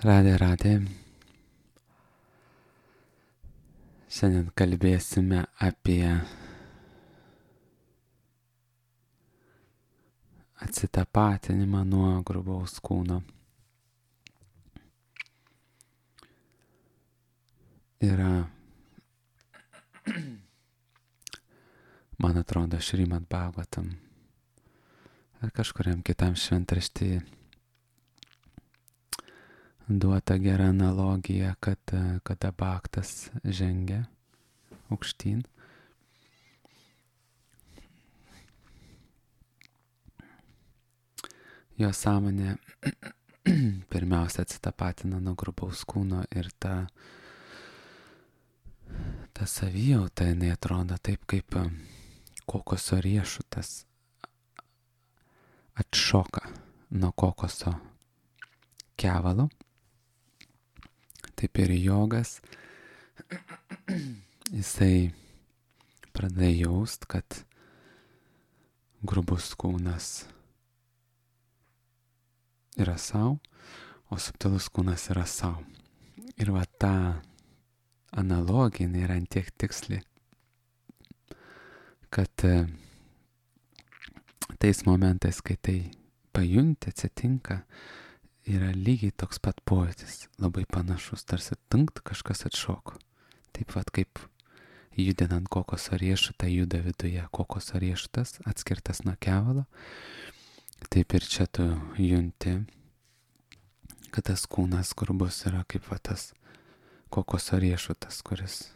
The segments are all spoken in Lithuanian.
Radė. Šiandien kalbėsime apie atsitapatinimą nuo grubaus kūno. Yra, man atrodo, Šrimad Bhagavatam ar kažkuriam kitam šventraštyje duota gera analogija, kad kada bhaktas žengia aukštyn, jo sąmonė pirmiausia atsitapatina nuo grubaus kūno ir ta savijauta, jinai atrodo taip, kaip kokoso riešutas atšoka nuo kokoso kevalo. Taip ir jogas, jisai pradeda jaust, kad grubus kūnas yra savo, o subtilus kūnas yra savo. Ir va ta analogija yra ant tiek tiksli, kad tais momentais, kai tai pajunti, atsitinka, yra lygiai toks pat pojūtis, labai panašus, tarsi tunkt kažkas atšoko. Taip pat kaip judinant kokoso riešutą juda viduje kokoso riešutas, atskirtas nuo kevalo, taip ir čia tu junti, kad tas kūnas grubus yra kaip va tas kokoso riešutas, kuris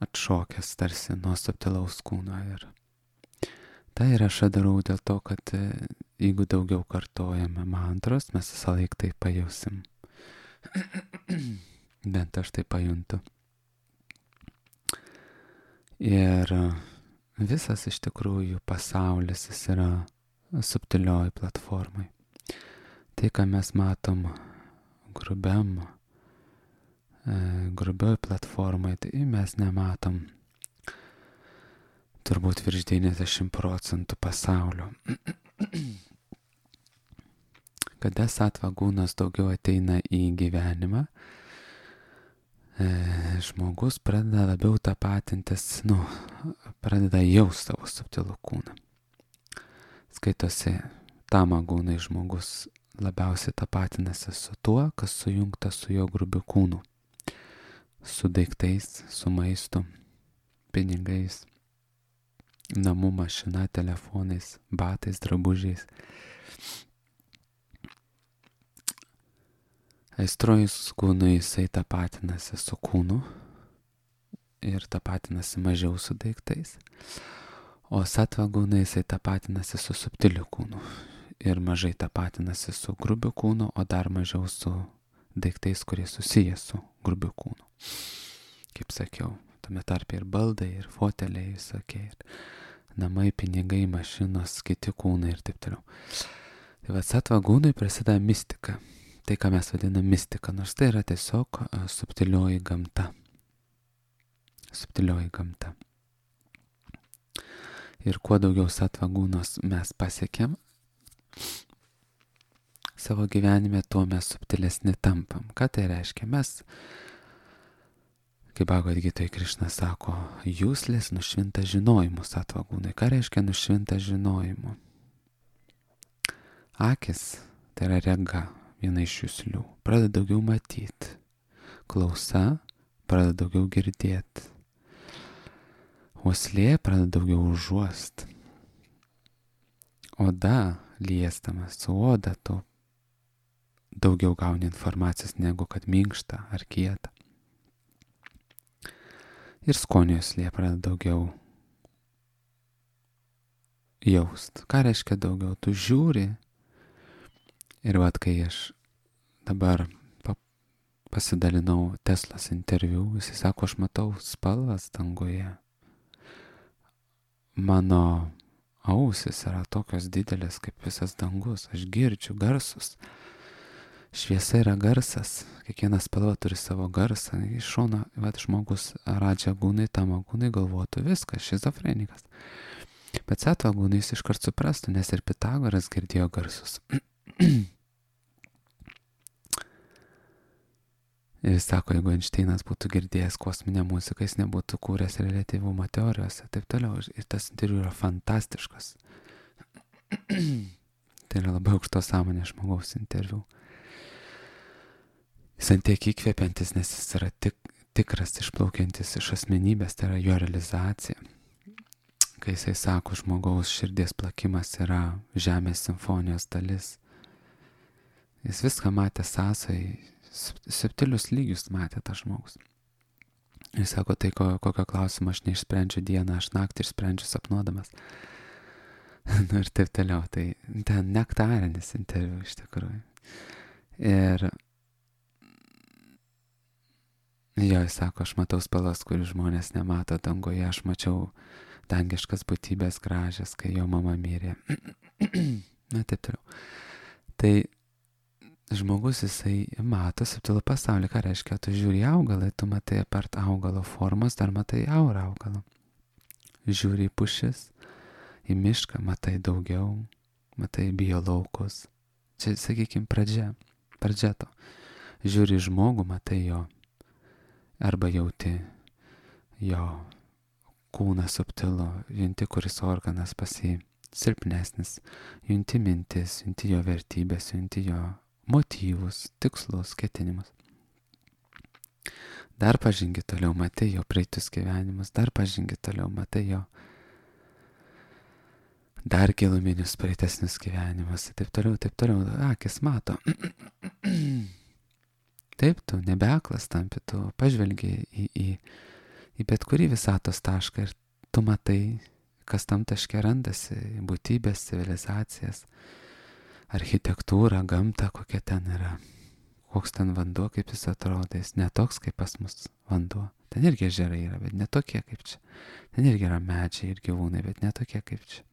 atšokęs tarsi nuo subtilaus kūno. Ir tai ir aš darau dėl to, kad jeigu daugiau kartojame mantros, mes visą laiką tai pajusim. Bent aš tai pajuntu. Ir visas iš tikrųjų pasaulis jis yra subtilioj platformai. Tai, ką mes matom grubioj platformai, tai mes nematom turbūt virš 90% pasaulio. Kada sattva gūnas daugiau ateina į gyvenimą, žmogus pradeda labiau tapatintis, pradeda jaust savo subtilų kūną. Skaitosi, tama gūnai žmogus labiausiai tapatinasi su tuo, kas sujungta su jo grubiu kūnu. Su daiktais, su maistu, pinigais, namų mašina, telefonais, batais, drabužiais. Aistrojus kūnui jisai tapatinasi su kūnu ir tapatinasi mažiau su daiktais, o sattva gūnai jisai tapatinasi su subtiliu kūnu ir mažai tapatinasi su grubiu kūnu, o dar mažiau su daiktais, kurie susiję su grubiu kūnu. Kaip sakiau, tame tarpe ir baldai, ir foteliai, visokie, ir namai, pinigai, mašinos, kiti kūnai ir taip toliau. Tai va, sattva gūnui prasideda mistika. Tai, ką mes vadiname mistika, nors tai yra tiesiog subtilioji gamta. Subtilioji gamta. Ir kuo daugiau sattva gūnos mes pasiekėm savo gyvenime, tuo mes subtilesni tampam. Ką tai reiškia? Mes, kaip Bhagavad Gitoj Krišna sako, jūslės nušvinta žinojimu sattva gūnai. Ką reiškia nušvinta žinojimu? Akis, tai yra rega, viena iš jūslių, pradeda daugiau matyti. Klausa pradeda daugiau girdėti. Uoslė pradeda daugiau užuost. Oda, liestamas su oda, tu daugiau gauni informacijos negu kad minkšta ar kieta. Ir skonio uoslė pradeda daugiau jaust. Ką reiškia daugiau? Tu žiūri. Ir vat, kai aš dabar pasidalinau Teslos interviu, jis sako, aš matau spalvas danguje. Mano ausis yra tokios didelės kaip visas dangus. Aš girdžiu garsus. Šviesa yra garsas. Kiekviena spalva turi savo garsą. Iš šono, vat, žmogus radža gūnai, tama gūnai galvotų viskas, šizofrenikas. Bet sattva gūnai jis iškart suprastų, nes ir Pitagoras girdėjo garsus. Ir jis sako, jeigu Einšteinas būtų girdėjęs kosminę muziką, jis nebūtų kūręs reliatyvumo teorijos ir taip toliau. Ir tas interviu yra fantastiškas. Tai yra labai aukštos sąmonės žmogaus interviu. Jis antiek įkvepiantis, nes jis yra tikras, išplaukiantis iš asmenybės, tai yra jo realizacija. Kai jisai sako, žmogaus širdies plakimas yra žemės simfonijos dalis. Jis viską matė sąsai, subtilius lygius matė tas žmogus. Jis sako, tai kokio klausimo aš neišsprendžiu dieną, aš naktį išsprendžiu sapnuodamas. Nu ir taip toliau, tai ten nektarinis interviu iš tikrųjų. Ir jo, jis sako, aš matau spalvas, kurių žmonės nemato dangoje, aš mačiau dangiškas būtybės gražias, kai jo mama mirė. Na taip toliau. Tai žmogus jisai mato subtilų pasaulį, ką reiškia, tu žiūri augalą, tu matai apart augalo formos, dar matai aurą augalo. Žiūri į pušis, į mišką, matai daugiau, matai biolaukus. Čia, sakykime, pradžia to. Žiūri į žmogų, matai jo, arba jauti jo kūną subtilų, junti, kuris organas silpnesnis, junti mintis, junti jo vertybės, junti jo motyvus, tikslus, ketinimus. Dar pažingi toliau, matai jo praeitus gyvenimus, dar pažingi toliau, matai jo dar giluminius praeitesnius gyvenimus, taip toliau, akis mato. Taip, tu nebeaklas tampi, tu pažvelgi į bet kurį visatos tašką ir tu matai, kas tam taške randasi, būtybės, civilizacijas, architektūrą, gamtą, kokia ten yra, koks ten vanduo, kaip jis atrodo, jis netoks kaip pas mus vanduo. Ten irgi ežerai yra, bet netokie kaip čia. Ten irgi yra medžiai ir gyvūnai, bet netokie kaip čia.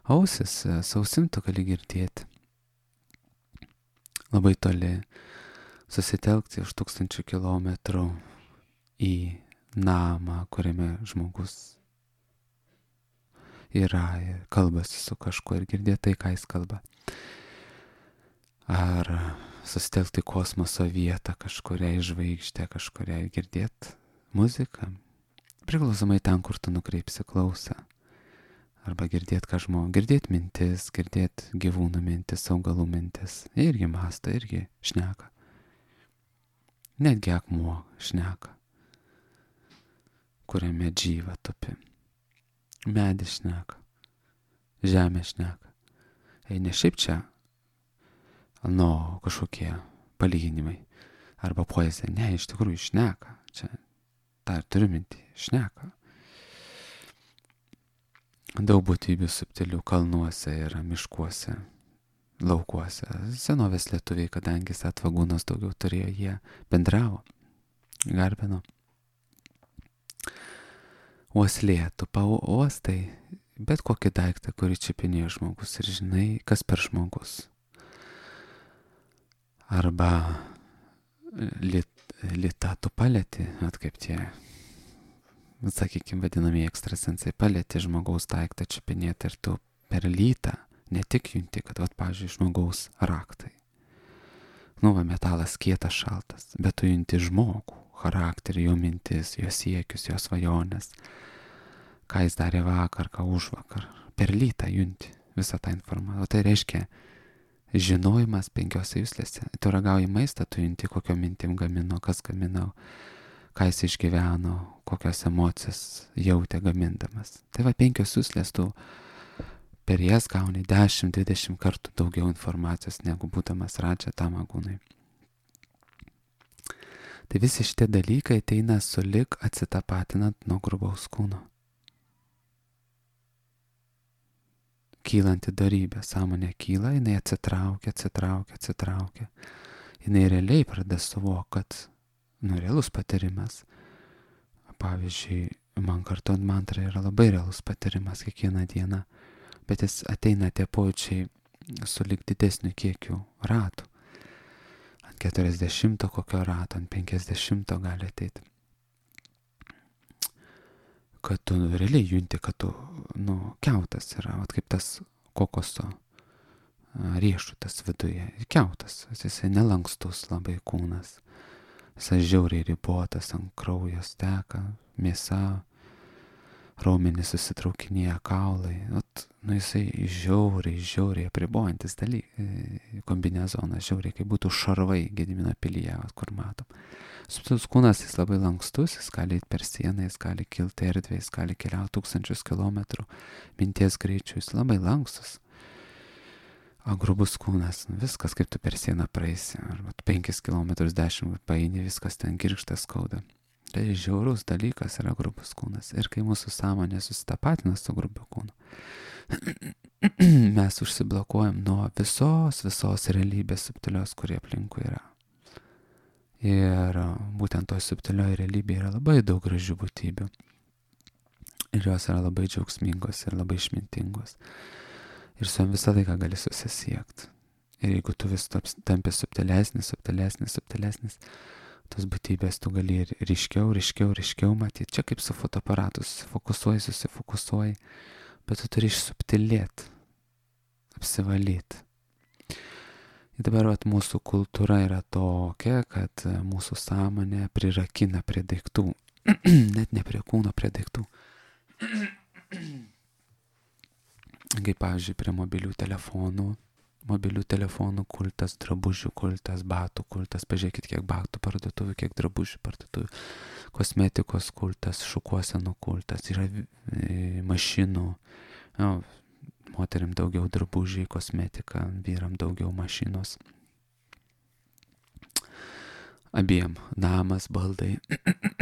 Ausis, sausim tu gali girdėti. Labai toli susitelkti už 1000 kilometrų į namą, kuriame žmogus yra ir kalbasi su kažkuo ir girdėti tai, ką jis kalba. Ar susitelkti kosmoso vietą kažkuriai žvaigždė, kažkuriai girdėti muziką. Priklausomai ten, kur tu nukreipsi klausą. Arba girdėti girdėti mintis, girdėti gyvūnų mintis, augalų mintis. Irgi mąsto, irgi šneka. Netgi akmuo šneka, kuriame džyva tupi. Medis šneka, žemė šneka. Ne šiaip čia, kažkokie palyginimai arba poezija. Ne, iš tikrųjų šneka. Čia tą ir turiu mintį, šneka. Daug būtybių subtilių kalnuose yra, miškuose, laukuose. Senovės lietuviai, kadangi satvagūnos daugiau turėjo, jie bendravo, garbino. Uoslė, tu pauostai bet kokį daiktą, kurį čiupinėjo žmogus ir žinai, kas per žmogus. Arba litą tu palieti, kaip tie, sakykime, vadinamieji ekstrasensai, palieti žmogaus daiktą čiupinėti ir tu per lytą ne tik junti, kad, pavyzdžiui, žmogaus raktai. Metalas kietas, šaltas, bet tu junti žmogų, charakterį, jo mintis, jo siekius, jo svajonės, ką jis darė vakar, ką užvakar. Per lytą junti visą tą informaciją. O tai reiškia žinojimas 5 juslėse. Tu ragauji maistą, tu junti, kokio mintim gamino, kas gaminau, ką jis išgyveno, kokios emocijas jautė gamindamas. Tai 5 juslės tu per jas gauni 10-20 kartų daugiau informacijos, negu būdamas Radža Tamagūnai. Tai visi šitie dalykai ateina sulig atsitapatinant nuo grubaus kūno. Kylanti darybė, sąmonė kyla, jinai atsitraukia. Jinai realiai pradeda suvokti, kad realus patyrimas. Pavyzdžiui, man kartuojant mantrą yra labai realus patyrimas kiekvieną dieną, bet jis ateina tie pojūčiai sulig didesniu kiekiu ratų. 40 kokio rato, ant 50 gali ateiti. Kad tu realiai junti, kad tu, kiautas yra, kaip tas kokoso riešutas viduje. Kiautas, jisai nelankstus labai kūnas. Jis žiauriai ribotas, ant kraujas teka, mėsa, raumenys susitraukinėja, kaulai. Jisai žiauriai apribojantis kombinezonas, žiauriai, kaip būtų šarvai Gedimino pilyje, kur matom. Subtilus kūnas, jis labai lankstus, jis gali eiti per sieną, jis gali kilti erdvę, jis gali keliauti 1000 kilometrų minties greičiu, jis labai lankstus. O grubus kūnas, viskas kaip tu per sieną praeisi, arba 5 km 10 paeini, viskas ten girgžtas skauda. Tai žiaurus dalykas yra grubus kūnas. Ir kai mūsų sąmonė susitapatina su grubiu kūnu, mes užsiblokuojam nuo visos realybės subtilios, kurie aplinkui yra. Ir būtent toj subtilioje realybėje yra labai daug gražių būtybių. Ir jos yra labai džiaugsmingos ir labai išmintingos. Ir su jom visą laiką gali susisiekti. Ir jeigu tu vis tampi subtilesnis, tos būtybės tu gali ir ryškiau matyti. Čia kaip su fotoaparatu, susifokusuoji, bet tu turi išsubtilėti, apsivalyti. Ir dabar mūsų kultūra yra tokia, kad mūsų sąmonė prirakina prie daiktų, net ne prie kūno, prie daiktų. Kaip pavyzdžiui, prie mobilių telefonų kultas, drabužių kultas, batų kultas, pažiūrėkit, kiek batų parduotuvių, kiek drabužių parduotuvių, kosmetikos kultas, šukuosenų kultas, yra mašinų, moteriam daugiau drabužiai, kosmetika, vyram daugiau mašinos. Abiem namas, baldai,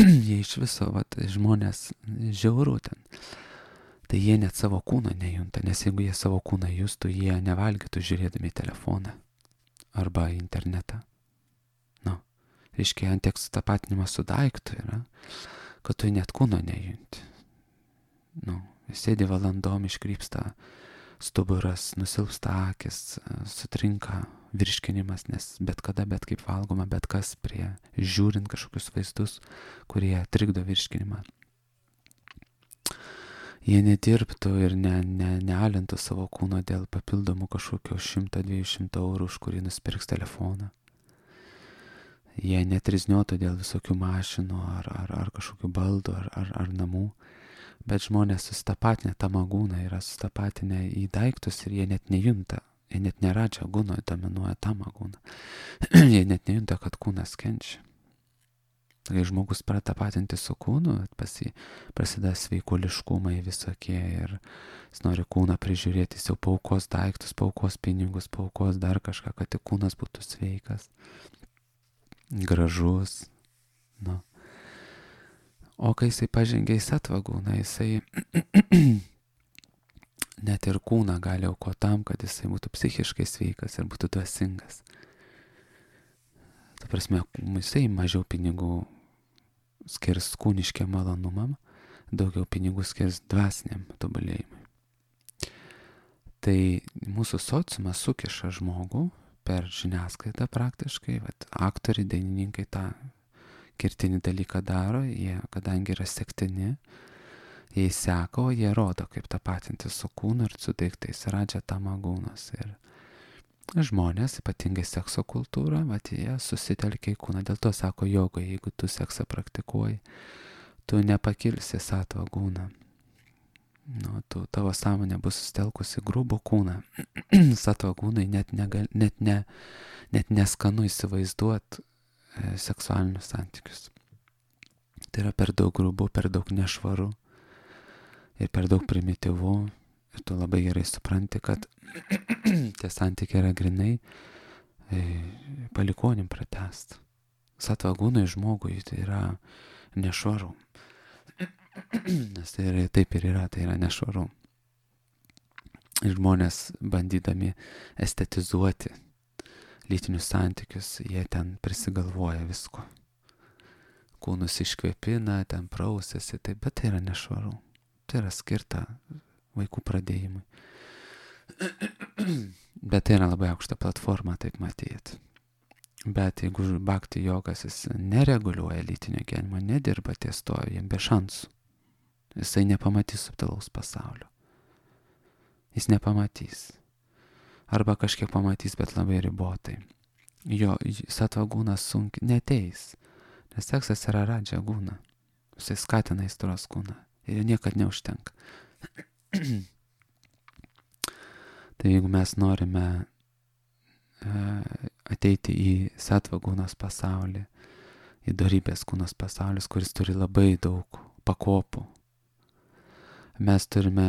jie iš viso, žmonės žiauru ten. Tai jie net savo kūno nejunta, nes jeigu jie savo kūną justų, jie nevalgytų žiūrėdami telefoną arba internetą. Reiškia, ant tiek sutapatinimas su daiktu yra, kad tu net kūno nejunti. Sėdi valandom, iškrypsta stuburas, nusilpsta akis, sutrinka virškinimas, nes bet kada, bet kaip valgoma, bet kas prie žiūrint kažkokius vaizdus, kurie trikdo virškinimą. Jie nedirbtų ir nealintų savo kūno dėl papildomų kažkokio 100-200 eurų, už kurį nusipirks telefoną. Jie netrizniuotų dėl visokių mašinų ar kažkokių baldų ar namų. Bet žmonės susitapatinę tamagūną yra susitapatinę į daiktus ir jie net nejunta. Jie net neradžia gūno, dominuoja tamagūną. Jie net nejunta, kad kūnas kenčia. Kai žmogus pratapatinti su kūnu, pas jį prasideda sveikuoliškumai visokie ir jis nori kūną prižiūrėti, jis jau paaukos daiktus, paaukos pinigus, paaukos dar kažką, kad tik kūnas būtų sveikas, gražus. O kai jisai pažengia į satvagūną, jisai net ir kūną gali aukoti tam, kad jisai būtų psichiškai sveikas ir būtų dvasingas. Ta prasme, jisai mažiau pinigų skirs kūniškiam malonumam, daugiau pinigų skirs dvasiniam tobulėjimui. Tai mūsų sociumas sukiša žmogų per žiniasklaidą praktiškai, aktoriai, dainininkai tą kertinį dalyką daro, jie, kadangi yra sektini, jie seka, o jie rodo, kaip tapatinti su kūnu ir su daiktais, radžia tamagūnas. Ir žmonės, ypatingai sekso kultūra, jie susitelkia į kūną. Dėl to sako joga, jeigu tu seksą praktikuoji, tu nepakilsi satvagūną. Tavo sąmonė bus susitelkusi grubų kūną. Satvagūnai net neskanu įsivaizduoti seksualinius santykius. Tai yra per daug grubu, per daug nešvaru ir per daug primityvu. Ir tu labai gerai supranti, kad tie santykiai yra grinai palikonim pratęst. Satvagūnai žmogui tai yra nešvaru. Nes tai yra, taip ir yra, tai yra nešvaru. Ir žmonės bandydami estetizuoti lytinius santykius, jie ten prisigalvoja visko. Kūnus iškvėpina, ten prausėsi, bet tai yra nešvaru. Tai yra skirta vaikų pradėjimui. Bet tai yra labai aukšta platforma, taip matyti. Bet jeigu bhakti jogas, jis nereguliuoja lytinio gyvenimo, nedirba ties to, jam be šansų. Jisai nepamatys subtilaus pasaulio. Jis nepamatys. Arba kažkiek pamatys, bet labai ribotai. Jo satvagūnas sunkiai neteis. Nes seksas yra radžia gūna. Jisai skatina aistros kūną. Ir jo niekad neužtenka. Tai jeigu mes norime ateiti į sattva gūnos pasaulį, į dorybės kūnos pasaulis, kuris turi labai daug pakopų, mes turime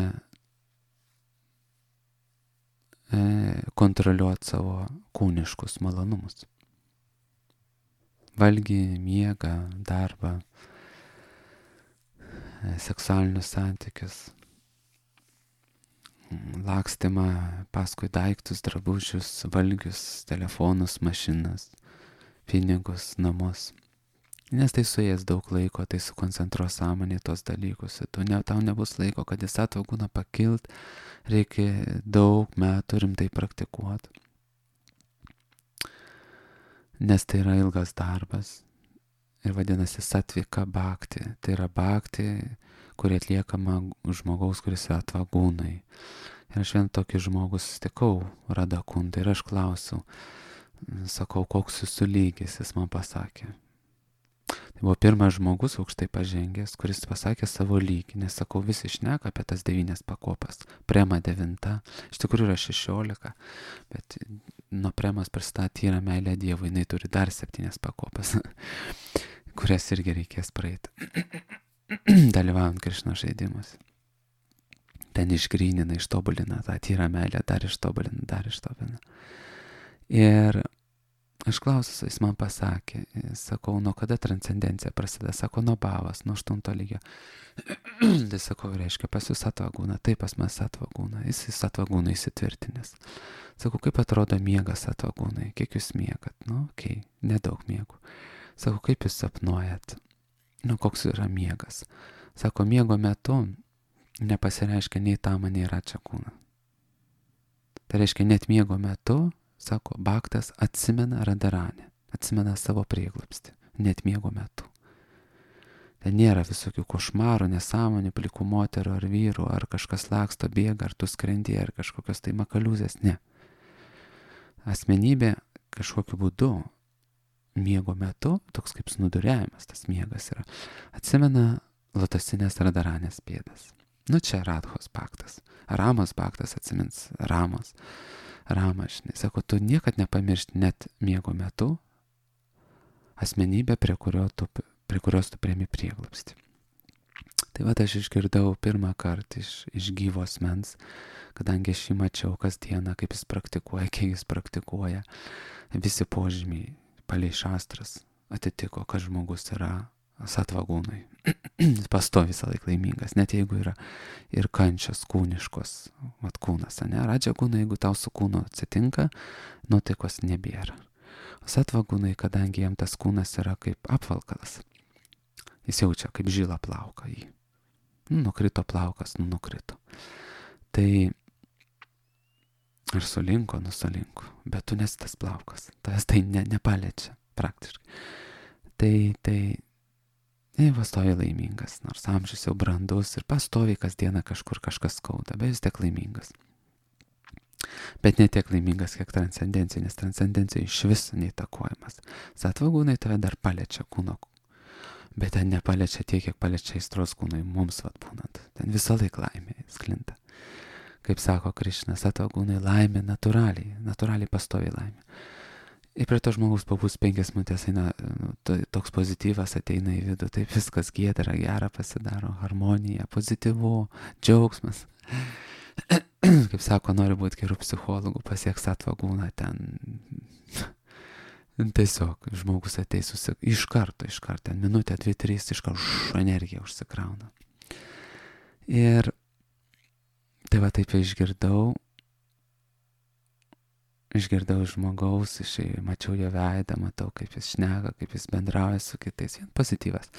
kontroliuoti savo kūniškus malonumus. Valgį, miegą, darbą, seksualinius santykius, lakstymą paskui daiktus, drabužius, valgius, telefonus, mašinas, pinigus, namus. Nes tai suės daug laiko, tai sukoncentruos sąmonė tos dalykus. Tau nebus laiko, kad į sattva gūną pakilt, reikia daug metų rimtai praktikuoti. Nes tai yra ilgas darbas. Ir vadinasi sattvika bhakti. Tai yra bhakti, kuri atliekama žmogaus, kuris yra sattva gūnai. Ir aš vien tokį žmogų susitikau, Radha Kunda, ir aš klausiau, sakau, koks jūsų lygis, jis man pasakė. Tai buvo pirmas žmogus aukštai pažengęs, kuris pasakė savo lygį, nes sakau, visi šneka apie tas 9 pakopas. Prema 9, iš tikrųjų yra 16, bet nuo premos pristatė tyra meilė Dievui, jinai turi dar 7 pakopas, kurias irgi reikės praeiti, dalyvaujant Krišnos žaidimus. Ten išgrynina, ištobulina tą tyrą meilę, dar ištobulina. Ir aš klausiu, jis man pasakė, sakau, nuo kada transcendencija prasideda, sako, nuo bhavas, nuo 8 lygio. Tai sakau, reiškia, pas jūs sattva gūna, taip pas mes sattva gūna, jis sattva gūna įsitvirtinęs. Sakau, kaip atrodo miegas sattva gūnai, kiek jūs miegat, nedaug miegų. Sakau, kaip jūs sapnuojat, koks yra miegas. Sako, miego metu nepasireiškia nei tama, nei račia kūna. Tai reiškia, net miego metu, sako, bhaktas atsimena Radharanę, atsimena savo prieglobstį, net miego metu. Ten nėra visokių košmarų, nesąmonių, plikų moterų ar vyrų, ar kažkas laksto, bėga, ar tu skrendi, ar kažkokios tai makaliūzės, ne. Asmenybė kažkokiu būdu miego metu, toks kaip snuduriavimas, tas miegas yra, atsimena lotosinės Radharanės pėdas. Čia Radhos bhaktas. Ramos bhaktas atsimins Ramos. Rama, žinai, sako, tu niekad nepamiršti net miego metu asmenybę, prie kurios tu priemi prieglobstį. Tai aš išgirdau pirmą kartą iš gyvo asmens, kadangi aš jį mačiau kasdieną, kaip jis praktikuoja, kiek jis praktikuoja. Visi požymiai palei šastras atitiko, kad žmogus yra sattva gūnai. Pastovi visą laiką laimingas, net jeigu yra ir kančios kūniškos, kūnas, ne? Radžia gūnai, jeigu tau su kūnu atsitinka, nuotaikos nebėra. O sattva gūnai, kadangi jam tas kūnas yra kaip apvalkalas, jis jaučia kaip žilą plauką jį. Nukrito plaukas, nukrito. Tai ar sulinko, sulinko, bet tu nesi tas plaukas, tavęs tai nepaliečia praktiškai. Tai pastoviai laimingas, nors amžius jau brandus ir pastoviai kasdieną kažkur kažkas skauda, bet vis tiek laimingas. Bet ne tiek laimingas, kiek transcendencija, nes transcendencija iš viso neįtakojamas. Sattva gūnai tave dar paliečia kūno, bet ten nepaliečia tiek, kiek paliečia aistros kūnai mums būnant. Ten visą laiką laimė sklinda. Kaip sako Krišna, sattva gūnai laimė natūraliai pastoviai laimė. Ir prie to žmogus pabūs 5 minutės, toks pozityvas ateina į vidų, taip viskas giedra, gera pasidaro, harmonija, pozityvu, džiaugsmas. Kaip sako, nori būti gerų psichologų, pasiek sattva gūną, ten tiesiog žmogus ateis iš karto, minutę, 2-3, iš karto energija užsikrauna. Ir tai taip išgirdau žmogaus, mačiau jo veidą, matau, kaip jis šneka, kaip jis bendrauja su kitais, vien pozityvas.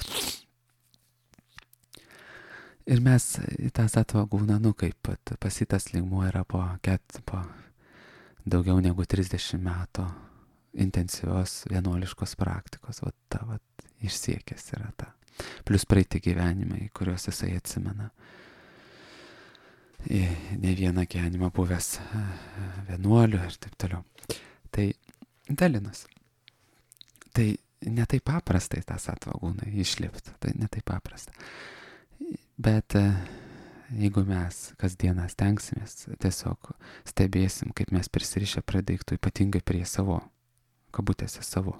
Ir mes į tą sattva gūną, kaip pasitas lygmuo yra po daugiau negu 30 metų intensyvios vienuoliškos praktikos, išsiekęs yra ta. Plus praeiti gyvenimai, kuriuos jisai atsimena. Ne vieną gyvenimą buvęs vienuoliu ir taip toliau. Tai dalinas. Tai netai paprastai tą satvagūną išlipti, tai netai paprasta. Bet jeigu mes kasdieną stengsimės, tiesiog stebėsim, kaip mes prisirišę prie daiktų, ypatingai prie savo, kabutėse savo,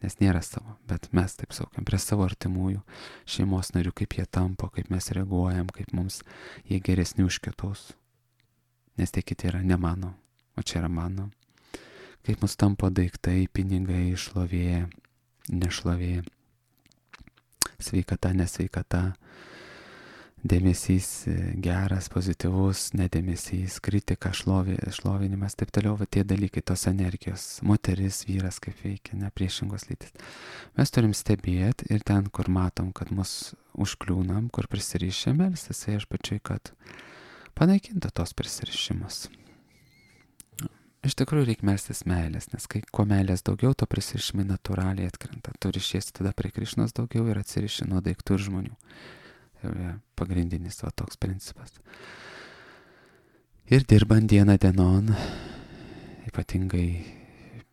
nes nėra savo, bet mes taip saugiam, prie savo artimųjų, šeimos narių, kaip jie tampo, kaip mes reaguojam, kaip mums jie geresni už kitus, nes tie kiti yra ne mano, o čia yra mano, kaip mus tampo daiktai, pinigai, šlovė, nešlovė, sveikata, nesveikata, dėmesys geras, pozityvus, nedėmesys, kritika, šlovinimas, taip toliau, va tie dalykai, tos energijos, moteris, vyras, kaip veikia, ne priešingos lytis. Mes turim stebėti ir ten, kur matom, kad mus užkliūnam, kur prisirišę, melstis viešpačiui, kad panaikintų tos prisirišimus. Iš tikrųjų reikia melstis meilės, nes kai kuo meilės daugiau, to prisirišimai natūraliai atkrenta. Tu rišiesi tada prie Krišnos daugiau ir atsiriši nuo daiktų ir žmonių. Pagrindinis va toks principas. Ir dirbant dieną dienon, ypatingai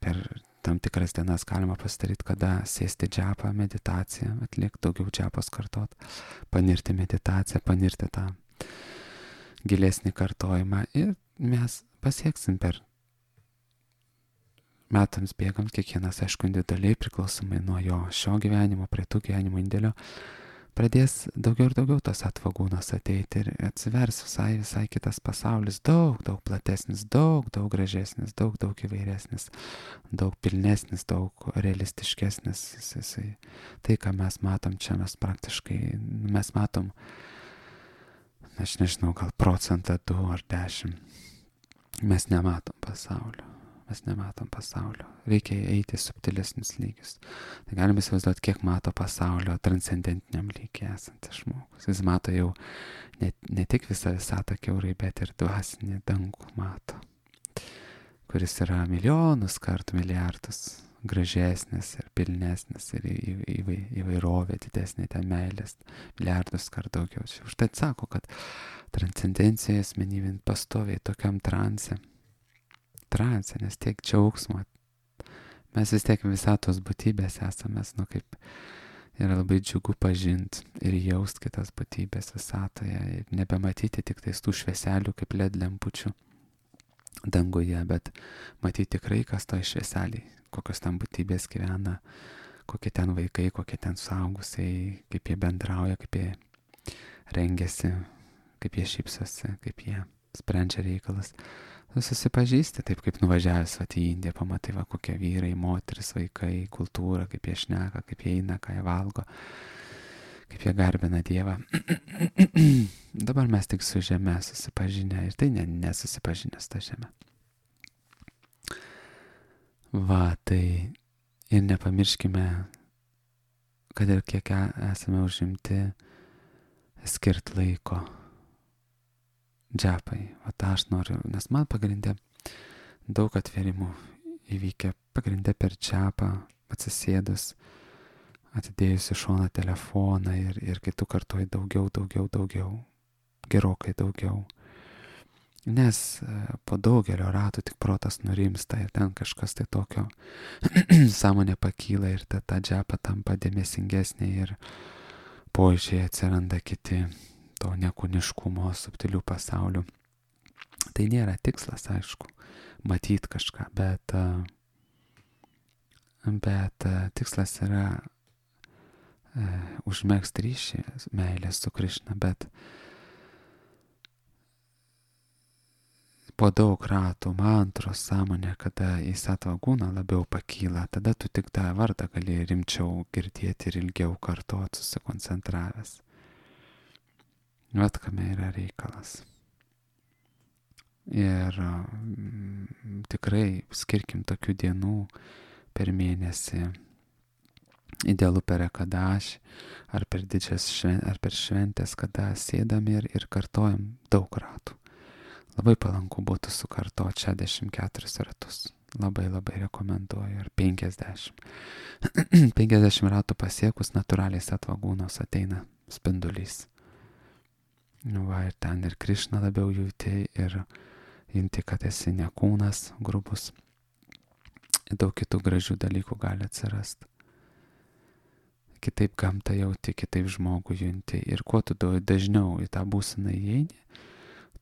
per tam tikras dienas galima pasidaryti, kada sėsti džapą, meditaciją, atlikti daugiau džapos kartot, panirti meditaciją, panirti tą gilesnį kartojimą ir mes pasieksim per metams bėgant, kiekvienas aišku individualiai priklausomai nuo jo šio gyvenimo, prie tų gyvenimo indėlio, pradės daugiau ir daugiau tos atvagūnos ateiti ir atsivers visai kitas pasaulis, daug platesnis, daug gražesnis, daug įvairesnis, daug pilnesnis, daug realistiškesnis. Tai, ką mes matom čia, mes praktiškai, mes matom, aš nežinau, gal 1%, 2 ar 10. Mes nematom pasaulio. Reikia eiti į subtilesnius lygius. Tai galime įsivaizduoti, kiek mato pasaulio transcendentiniam lygiai esantis žmogus. Jis mato jau ne tik visą visatą kiaurai, bet ir dvasinį dangų mato, kuris yra milijonus kartų, milijardus gražesnis ir pilnesnis ir įvairovė didesnė, ten meilės milijardus kartų daugiau. Užtai sako, kad transcendencija asmenybė pastoviai tokiam transe, nes tiek džiaugsmo. Mes vis tiek visatos būtybės esame, kaip yra labai džiugu pažinti ir jaust kitas būtybės visatoje ir nebematyti tik tais tų švieselių kaip LED lempučių danguje, bet matyti tikrai, kas toj švieseliai, kokios ten būtybės gyvena, kokie ten vaikai, kokie ten suaugusiai, kaip jie bendrauja, kaip jie rengiasi, kaip jie šypsosi, kaip jie sprendžia reikalas. Susipažįsti, taip kaip nuvažiavęs į Indiją, pamatai, kokie vyrai, moteris, vaikai, kultūra, kaip jie šneka, kaip jie eina, ką jie valgo, kaip jie garbina Dievą. Dabar mes tik su žeme susipažinę ir tai nesusipažinę su ta žeme. Tai ir nepamirškime, kad ir kiek esame užimti, skirt laiko džapai. Tą aš noriu, nes man pagrindė daug atvėrimų įvykę, pagrindė per džapą, atsisėdus, atidėjus į šoną telefoną ir kai tu kartuoji daugiau, gerokai daugiau. Nes po daugelio ratų tik protas nurimsta ir ten kažkas tai tokio sąmonė pakyla ir ta džapa tampa dėmesingesnė ir požiūriai atsiranda kiti to nekūniškumo, subtilių pasaulių. Tai nėra tikslas, aišku, matyti kažką, bet tikslas yra užmegzti ryšį, meilės su Krišna, bet po daug ratų mantros sąmonė, kada į satvagūną labiau pakyla, tada tu tik tą vardą gali rimčiau girdėti ir ilgiau kartuoti susikoncentravęs. Kame yra reikalas. Ir tikrai skirkim tokių dienų per mėnesį, idealu per ekadašį, ar per ar per šventės, kada sėdam ir kartojam daug ratų. Labai palanku būtų sukartoti 64 ratus. Labai rekomenduoju. Ir 50. 50 ratų pasiekus natūraliai satvagūnos ateina spindulys. Ir ten ir Krišną labiau jauti ir jinti, kad esi ne kūnas grubus. Daug kitų gražių dalykų gali atsirasti. kitaip gamtą jauti, kitaip žmogų junti. Ir kuo tu dažniau į tą būseną įeini,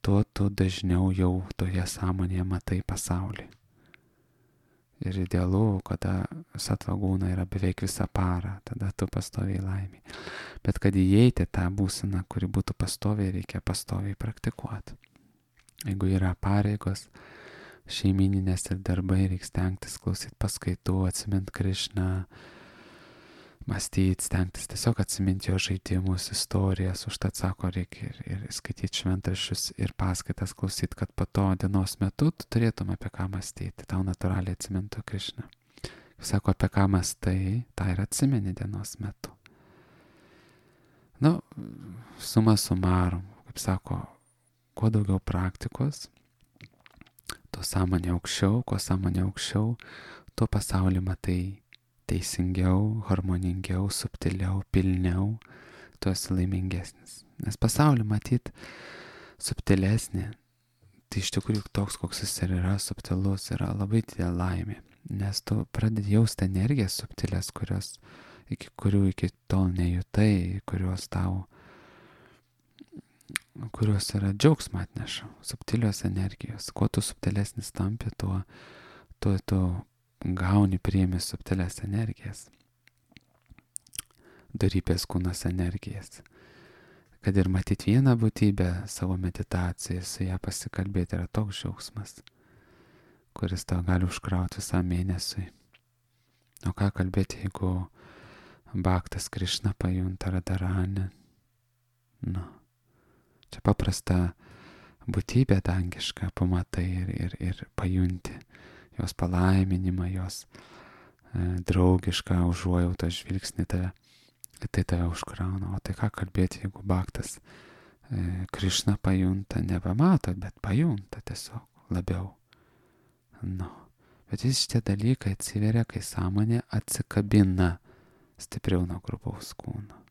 tuo tu dažniau jau toje sąmonėje matai pasaulį. Ir idealu, kada satvagūna yra beveik visą parą, tada tu pastoviai laimė. Bet kad įeiti tą būseną, kuri būtų pastoviai, reikia pastoviai praktikuoti. Jeigu yra pareigos, šeimininės ir darbai, reikia stengtis klausyti paskaitų, atsiminti Krišną, mąstyti, stengtis tiesiog atsiminti jo žaidimus, istorijas, užtat sako, reikia ir skaityti šventraščius ir paskaitas klausyti, kad po to dienos metu tu turėtum apie ką mąstyti, tau natūraliai atsimintų Krišną. Sako, apie ką mąstai, tą ir atsimeni dienos metu. Suma sumarum, kaip sako, kuo daugiau praktikos, tuo sąmonė aukščiau, kuo sąmonė aukščiau, tuo pasaulį matai teisingiau, harmoningiau, subtiliau, pilniau, tu esi laimingesnis. Nes pasaulį matyt subtilesnė, tai iš tikrųjų toks, koks jis ir yra, subtilus, yra labai didelė laimė. Nes tu pradedi jausti energijas subtilės, kurių iki tol nejutai, kurios yra džiaugsmą atneša. Subtilios energijos. Kuo tu subtilesnis tampi, tuo tu gauni, priimi subtilės energijas. Dorybės kūnas energijas. Kad ir matyti vieną būtybę savo meditaciją, su ją pasikalbėti yra toks džiaugsmas, kuris tau gali užkrauti visam mėnesiui. O ką kalbėti, jeigu Bhaktas Krišna pajunta Radharani? Čia paprasta būtybė dangiška, pamatai ir pajunti jos palaiminimą, jos draugišką užuojautą žvilgsnį tave, tai tave užkrauna. O tai ką kalbėti, jeigu Bhaktas Krišna pajunta, nebemato, bet pajunta tiesiog labiau. Bet visi šitie dalykai atsiveria, kai sąmonė atsikabina stipriau nuo grubaus kūno.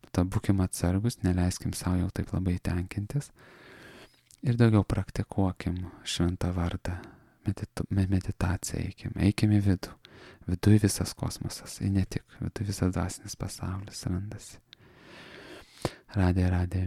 Ta būkim atsargus, neleiskim savo jau taip labai tenkintis ir daugiau praktikuokim šventą vardą. Meditaciją eikim į vidų. Viduj visas kosmosas, ir ne tik, viduj visas dvasinis pasaulis randasi. Radė.